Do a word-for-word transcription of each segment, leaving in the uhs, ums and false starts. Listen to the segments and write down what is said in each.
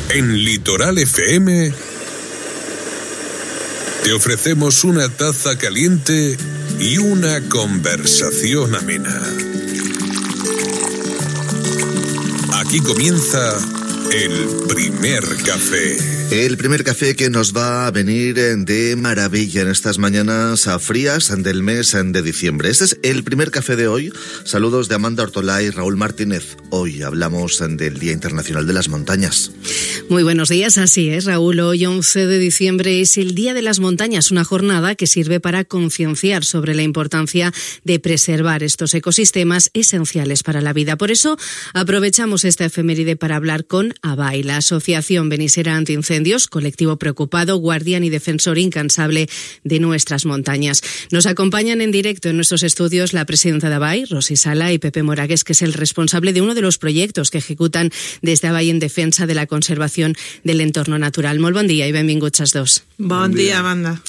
En Litoral F M te ofrecemos una taza caliente y una conversación amena. Aquí comienza el primer café. El primer café que nos va a venir de maravilla en estas mañanas frías del mes de diciembre. Este es el primer café de hoy. Saludos de Amanda Ortolá y Raúl Martínez. Hoy hablamos del Día Internacional de las Montañas. Muy buenos días, así es, Raúl. Hoy, once de diciembre, es el Día de las Montañas, una jornada que sirve para concienciar sobre la importancia de preservar estos ecosistemas esenciales para la vida. Por eso, aprovechamos esta efeméride para hablar con ABAI, la Asociación Benisera Antiincendios, colectivo preocupado, guardián y defensor incansable de nuestras montañas. Nos acompañan en directo en nuestros estudios la presidenta de ABAI, Rosy Sala, y Pepe Moragues, que es el responsable de uno de los proyectos que ejecutan desde ABAI en defensa de la conservación del entorno natural. Molt bon dia i benvinguts als dos. Bon dia, Amanda.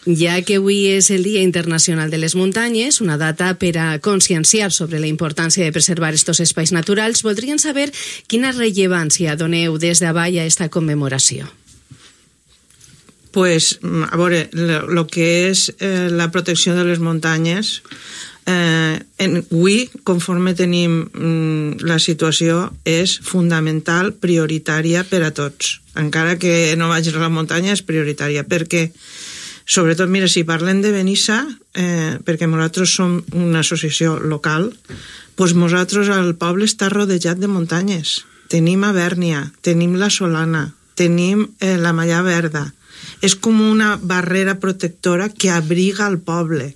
Ja que avui és el Dia Internacional de les Muntanyes, una data per a conscienciar sobre la importància de preservar estos espais naturals, voldrien saber quina rellevància doneu des d'ABAI a esta commemoració. Pues, a veure, lo que és eh, la protecció de les muntanyes, eh, en, avui, conforme tenim mm, la situació, és fundamental, prioritària per a tots. Encara que no vagis a la muntanya, és prioritària, perquè, sobretot, mira, si parlem de Benissa, eh, perquè nosaltres som una associació local, doncs nosaltres, el poble està rodejat de muntanyes. Tenim Abèrnia, tenim la Solana, tenim eh, la Malla Verda. És com una barrera protectora que abriga el poble.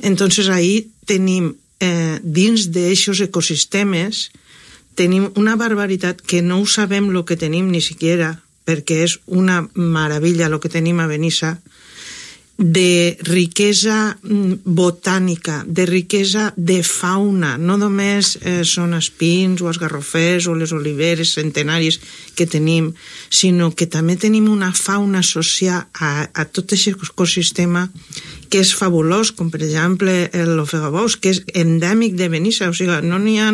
Entonces ahí tenim, eh, dins d'eixos ecosistemes, tenim una barbaritat que no ho sabem lo que tenim ni siquiera, perquè és una meravella lo que tenim a Benissa, de riquesa botànica, de riquesa de fauna. No només eh, són els pins o els garrofers o les oliveres centenaris que tenim, sinó que també tenim una fauna associada a, a tot aquest ecosistema que és fabulós, com per exemple l'ofegabous, que és endèmic de Benissa. O sigui, no n'hi ha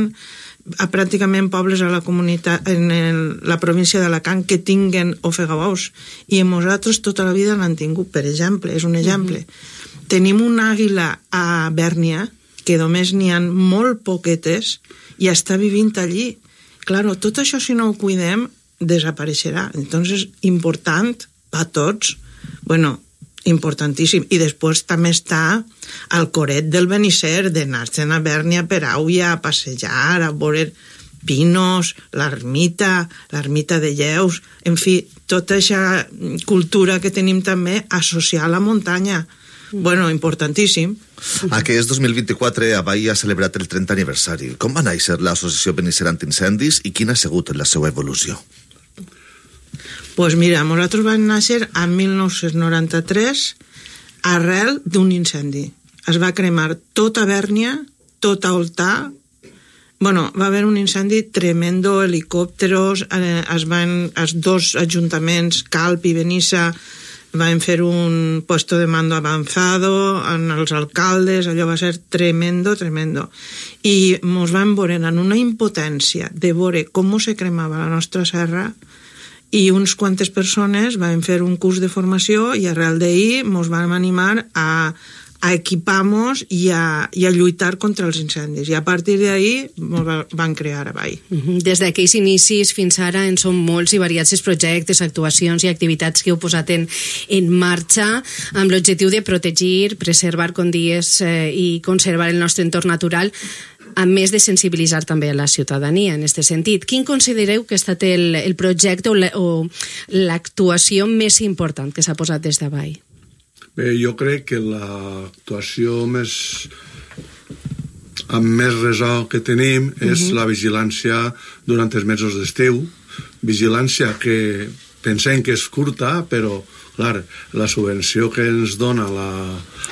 a pràcticament pobles a la comunitat, en el, la província d'Alacant que tinguen ofegabous, i en nosaltres tota la vida l'han tingut, per exemple, és un exemple. Mm-hmm. Tenim una àguila a Bèrnia que només n'hi ha molt poquetes i està vivint allí. Claro, tot això, si no ho cuidem, desapareixerà. Entonces, important per tots, bueno, importantíssim. I després també està el coret del Benisser, d'anar-se'n a Bèrnia per Àuia, a passejar, a veure pinos, l'ermita, l'ermita de Lleus, en fi, tota aquesta cultura que tenim també associada a la muntanya. Bueno, importantíssim. Aquest dos mil vint-i-quatre ABAI ha celebrat el trentè aniversari. Com va néixer l'Associació Benisera Antiincendis i quina ha sigut la seva evolució? Pues mira, nosaltres vam néixer en mil nou-cents noranta-tres arrel d'un incendi. Es va cremar tota Bèrnia, tota Oltà. Bueno, va haver un incendi tremendo, helicòpteros, eh, es van, els dos ajuntaments, Calp i Benissa, van fer un puesto de mando avanzado, en els alcaldes, allò va ser tremendo, tremendo. I ens vam veure en una impotència de veure com se cremava la nostra serra, i uns quantes persones van fer un curs de formació i arrel d'ahir ens vam animar a, a equipar-nos i a, i a lluitar contra els incendis. I a partir d'ahir ens van crear ABAI. Des d'aquells inicis fins ara en són molts i variats els projectes, actuacions i activitats que heu posat en, en marxa amb l'objectiu de protegir, preservar, com dies, eh, i conservar el nostre entorn natural, a més de sensibilitzar també a la ciutadania en aquest sentit. Quin considereu que ha estat el, el projecte o, la, o l'actuació més important que s'ha posat des d'ABAI? Bé, jo crec que l'actuació més amb més ressò que tenim és uh-huh. la vigilància durant els mesos d'estiu. Vigilància que pensem que és curta, però clar, la subvenció que ens dona la,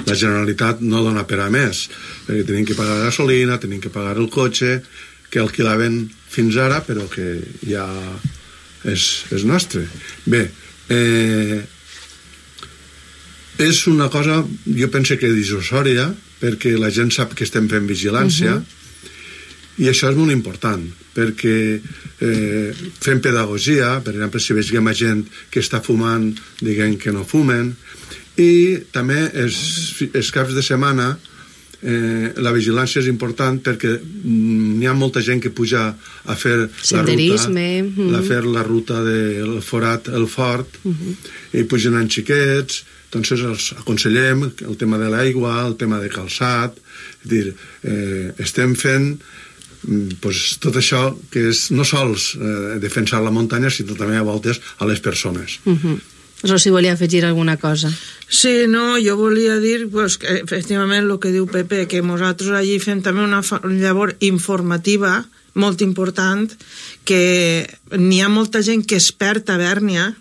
la Generalitat no dona per a més, perquè tenim que pagar la gasolina, tenim que pagar el cotxe que alquilaven fins ara, però que ja és, és nostre. Bé, eh, és una cosa, jo penso que dissuasòria, perquè la gent sap que estem fent vigilància, uh-huh. I això és molt important, perquè eh, fem pedagogia, per exemple, si veiem a gent que està fumant, diguem que no fumen, i també els, els caps de setmana eh, la vigilància és important perquè n'hi ha molta gent que puja a fer la ruta, mm-hmm. a fer la ruta del forat, el fort, mm-hmm. i pugen en xiquets, doncs els aconsellem el tema de l'aigua, el tema de calçat, és dir, eh, estem fent pues, tot això que és no sols eh, defensar la muntanya, sinó també a voltes a les persones. Mm-hmm. Rosy volia afegir alguna cosa. Sí, no, jo volia dir pues, que efectivament el que diu Pepe, que nosaltres allí fem també una llavor informativa molt important, que n'hi ha molta gent que es perd a Bèrnia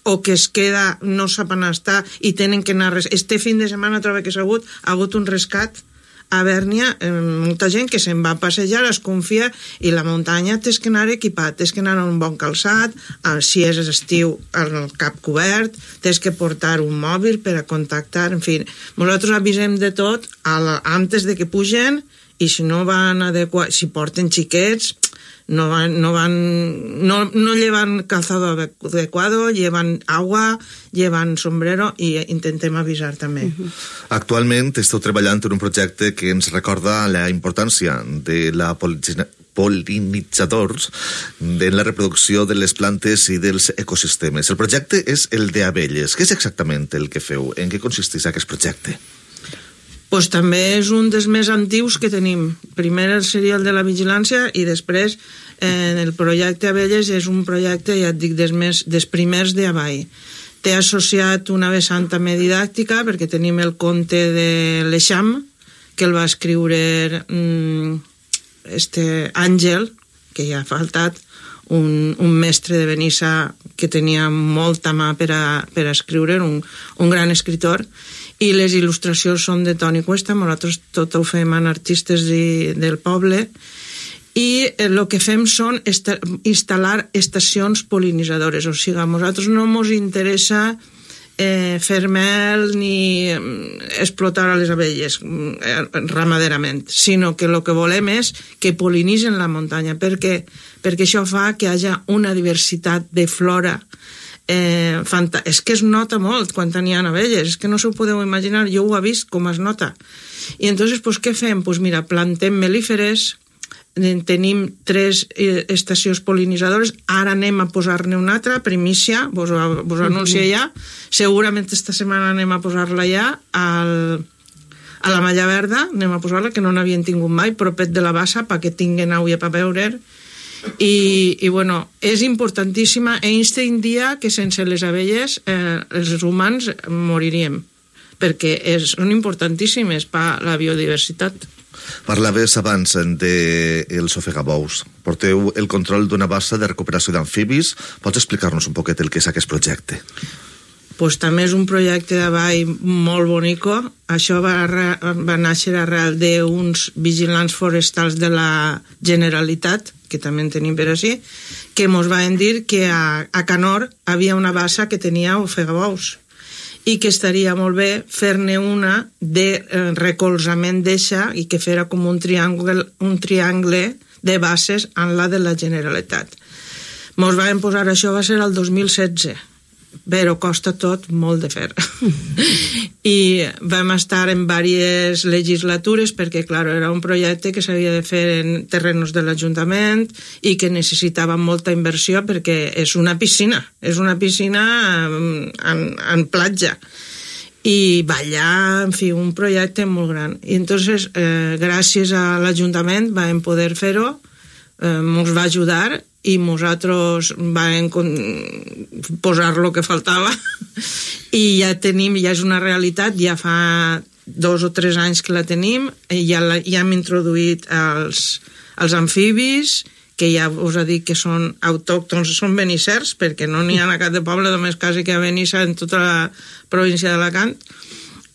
o que es queda, no sap on està i tenen que anar... Este fin de setmana trobo que s'ha hagut, ha hagut un rescat a Bèrnia, eh, molta gent que se'n va a passejar, es confia, i la muntanya tens que anar equipat, tens que anar amb un bon calçat, si és estiu amb el cap cobert, tens que portar un mòbil per a contactar, en fi, nosaltres avisem de tot a la, antes de que pugen, i si no van adequar, si porten xiquets, no van, no van, no, no llevan calzado adecuado, llevan agua, llevan sombrero, i intentem avisar també. Uh-huh. Actualment esteu treballant en un projecte que ens recorda la importància de la pol·linitzadors de la reproducció de les plantes i dels ecosistemes. El projecte és el de abelles. Què és exactament el que feu? En què consisteix aquest projecte? Pues també és un dels més antius que tenim. Primer seria el de la vigilància i després eh, el projecte Abelles és un projecte, ja et dic, des, més, des primers de avall. Té associat una vessant també didàctica perquè tenim el conte de l'Eixam, que el va escriure mm, este Àngel, que ja ha faltat, un, un mestre de Benissa que tenia molta mà per a, per a escriure, un, un gran escritor, i les il·lustracions són de Toni Cuesta, nosaltres tot ho fem amb artistes de, del poble, i el que fem són esta, instal·lar estacions pol·linitzadores, o sigui, a nosaltres no ens interessa eh, fer mel ni explotar a les abelles eh, ramaderament, sinó que el que volem és que pol·linitzen la muntanya, perquè, perquè això fa que hi hagi una diversitat de flora. Eh, fanta... és que es nota molt quan n'hi ha abelles, és que no s'ho podeu imaginar, jo ho he vist com es nota. I entonces, pues, què fem? Pues mira, plantem melíferes, tenim tres eh, estacions pol·linitzadores, ara anem a posar-ne una altra, primícia, vos, vos anuncio ja, segurament esta setmana anem a posar-la ja al, a la Malla Verda, anem a posar-la, que no n'havien tingut mai, propet de la Bassa, perquè tinguen aigua per beure. I, i bueno, és importantíssima. Einstein dia que sense les abelles eh, els humans moriríem, perquè és, són importantíssimes per la biodiversitat. Parlaves abans dels ofegabous. Porteu el control d'una bassa de recuperació d'amfibis. Pots explicar-nos un poquet el que és aquest projecte? Pues també és un projecte de ball molt bonico. Això va, va néixer arrel d'uns vigilants forestals de la Generalitat, que també en tenim per així, que ens van dir que a, a Canor havia una bassa que tenia ofegabous i que estaria molt bé fer-ne una de eh, recolzament d'eixa i que fera com un triangle, un triangle de basses en la de la Generalitat. Ens van posar, això va ser el dos mil setze, però costa tot molt de fer. I vam estar en diverses legislatures perquè, clar, era un projecte que s'havia de fer en terrenos de l'Ajuntament i que necessitava molta inversió perquè és una piscina, és una piscina en, en, en platja. I ballar, en fi, un projecte molt gran. I entonces, eh, gràcies a l'Ajuntament vam poder fer-ho, eh, ens va ajudar i nosaltres vam posar lo que faltava i ja tenim, ja és una realitat, ja fa dos o tres anys que la tenim, ja, la, ja hem introduït els, els amfibis, que ja us he dit que són autòctons, són benissers, perquè no n'hi ha a cap de poble, només quasi que a Benissa en tota la província d'Alacant,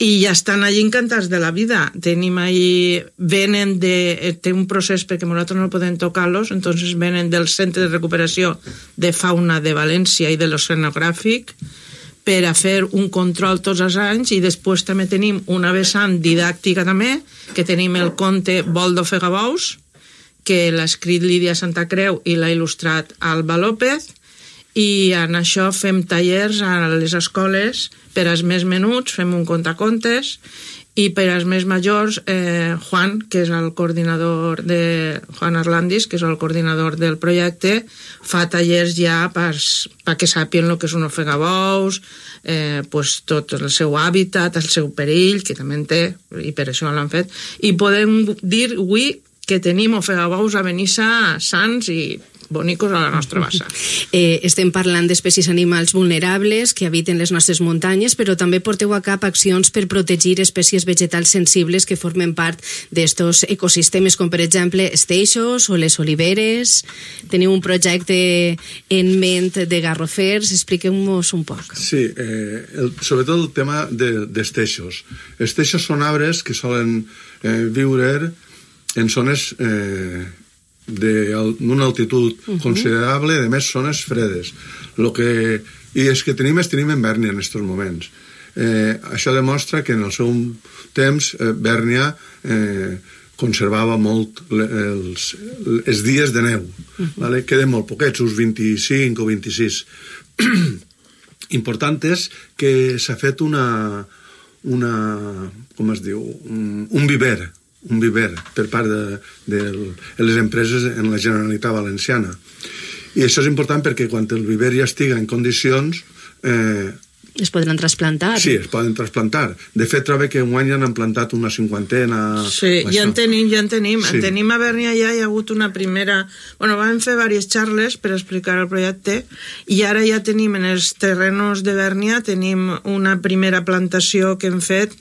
i ja estan allí encantats de la vida. Tenim allí, venen de, té un procés perquè nosaltres no podem tocar-los, entonces venen del Centre de Recuperació de Fauna de València i de l'Oceanogràfic per a fer un control tots els anys, i després també tenim una vessant didàctica també, que tenim el conte Vol d'ofegabous, que l'ha escrit Lídia Santa Creu i l'ha il·lustrat Alba López, i en això fem tallers a les escoles per als més menuts, fem un contacontes, i per als més majors, eh, Juan, que és el coordinador de Juan Arlandis, que és el coordinador del projecte, fa tallers ja perquè sàpien el que és un ofegabous, eh, pues, tot el seu hàbitat, el seu perill, que també en té, i per això l'han fet, i podem dir avui que tenim ofegabous a Benissa sants i bonicos a la nostra bassa. Eh, estem parlant d'espècies animals vulnerables que habiten les nostres muntanyes, però també porteu a cap accions per protegir espècies vegetals sensibles que formen part d'estos ecosistemes, com per exemple els teixos o les oliveres. Teniu un projecte en ment de garrofers, expliqueu-nos un poc. Sí, eh, el, sobretot el tema de, dels teixos. Els teixos són arbres que solen eh, viure en zones eh, d'una altitud uh-huh. considerable, de més zones fredes. Lo que, i és que tenim, és tenim en Bèrnia en aquests moments. Eh, això demostra que en el seu temps eh, Bèrnia eh, conservava molt els, els dies de neu. Uh-huh. Vale? Queden molt poquets, uns vint-i-cinc o vint-i-sis. Important és que s'ha fet una, una com es diu, un, un viver, un viver per part de, de les empreses en la Generalitat Valenciana. I això és important perquè quan el viver ja estiga en condicions... Eh, es podran trasplantar. Sí, es poden trasplantar. De fet, trobo que enguany ja n'han plantat una cinquantena... Sí, ja en tenim, ja en tenim. Sí. En tenim a Bèrnia, ja hi ha hagut una primera... Bueno, vam fer diverses xarles per explicar el projecte i ara ja tenim en els terrenos de Bèrnia tenim una primera plantació que hem fet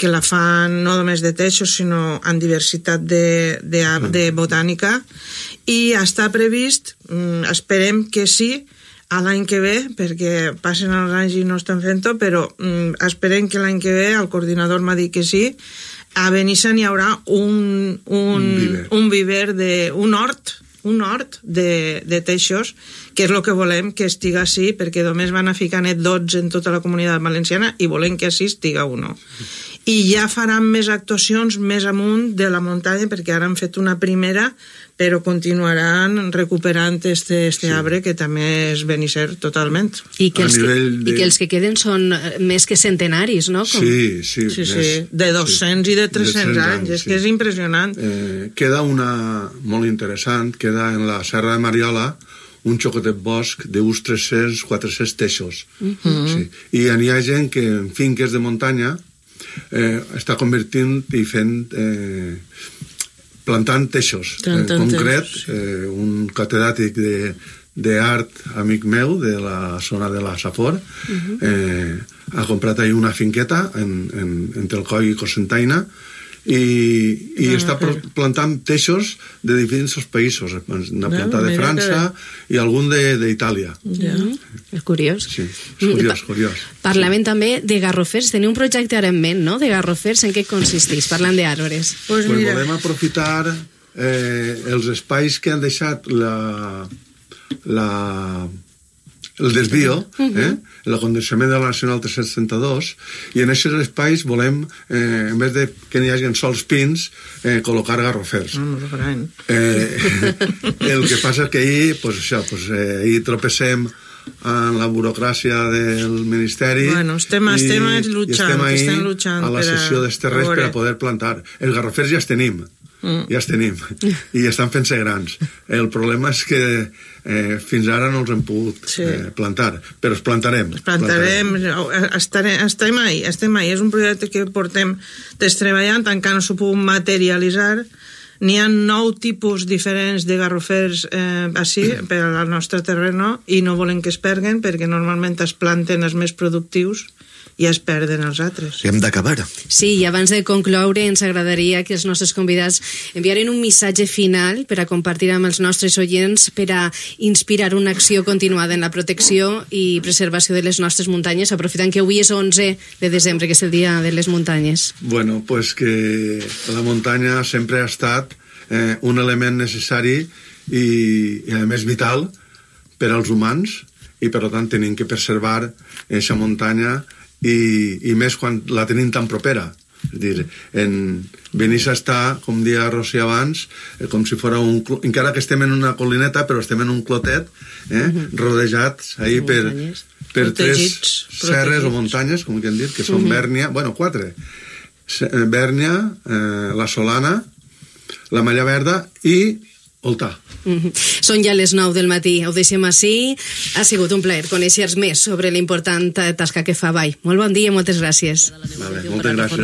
que la fan no només de teixos, sinó en diversitat de, de, de botànica, i està previst, esperem que sí, a l'any que ve, perquè passen els anys i no estan fent-ho, però mm, esperem que l'any que ve, el coordinador m'ha dit que sí, a Benissa n'hi haurà un, un, un viver, un viver de, un hort, un hort de, de teixos, que és el que volem que estiga així, perquè només van a ficar net dotze en tota la comunitat valenciana i volem que així estiga uno. I ja faran més actuacions més amunt de la muntanya, perquè ara han fet una primera, però continuaran recuperant este, este sí. arbre, que també és benisser totalment. I que, els que, de... i que els que queden són més que centenaris, no? Com... Sí, sí. sí, sí. De dos-cents sí. i de tres-cents anys, anys, és sí. que és impressionant. Eh, queda una molt interessant, queda en la Serra de Mariola, un xocotet bosc d'uns tres-cents quatre-cents teixos. Uh-huh. Sí. I hi ha gent que en finques de muntanya eh, està convertint i fent... Eh, plantant teixos. En concret, eh, un catedràtic de, d'art, amic meu, de la zona de la Safor, uh-huh. eh, ha comprat ahí una finqueta en, en, entre el Coll i Cocentaina i, i ah, està okay. plantant teixos de diferents països. N'ha plantat de França que... i algun d'Itàlia. Ja. És curiós. Sí, és curiós, curiós. Parlaven sí. també de garrofers. Teniu un projecte ara en ment, no?, de garrofers. En què consisteix? Parlant d'arbres. Pues, pues volem aprofitar eh, els espais que han deixat la... la el desvio, eh? l'acondicionament de la Nacional tres-cents trenta-dos, i en aquests espais volem, eh, en vez de que n'hi hagi sols pins, eh, col·locar garrofers. Mm, eh, el que passa és que ahir, pues, això, pues, eh, ahir tropecem en la burocràcia del Ministeri bueno, estem, i, estem luchant, i estem ahí estem luchant a la sessió dels terres per a poder plantar. Els garrofers ja els tenim, Mm. ja els tenim i estan fent-se grans. El problema és que eh, fins ara no els hem pogut sí. eh, plantar, però els plantarem. Els plantarem, plantarem. Estarem, estem ahí, estem ahí. És un projecte que portem treballant, encara no s'ho puguem materialitzar. N'hi ha nou tipus diferents de garrofers eh, així, per al nostre terreno, i no volem que es perguen, perquè normalment es planten els més productius i es perden els altres. Hem d'acabar. Sí, i abans de concloure ens agradaria que els nostres convidats enviaren un missatge final per a compartir amb els nostres oients per a inspirar una acció continuada en la protecció i preservació de les nostres muntanyes, aprofitant que avui és onze de desembre, que és el dia de les muntanyes. Bueno, pues que la muntanya sempre ha estat eh, un element necessari i, i a més vital per als humans, i per tant tenim que preservar aquesta muntanya i, i més quan la tenim tan propera. És dir, en Benissa està, com dia Rossi abans, eh, com si fos un... Encara que estem en una colineta, però estem en un clotet, eh, uh-huh. rodejats ahí per, per tres serres o muntanyes, com que hem dit, que són uh-huh. Bèrnia, bueno, quatre. Bèrnia, eh, la Solana, la Malla Verda i Oltà. Mm-hmm. Són ja les nou del matí, ho deixem així. Ha sigut un plaer conèixer més sobre l'important tasca que fa Vall. Molt bon dia, moltes gràcies. Vale, moltes gràcies.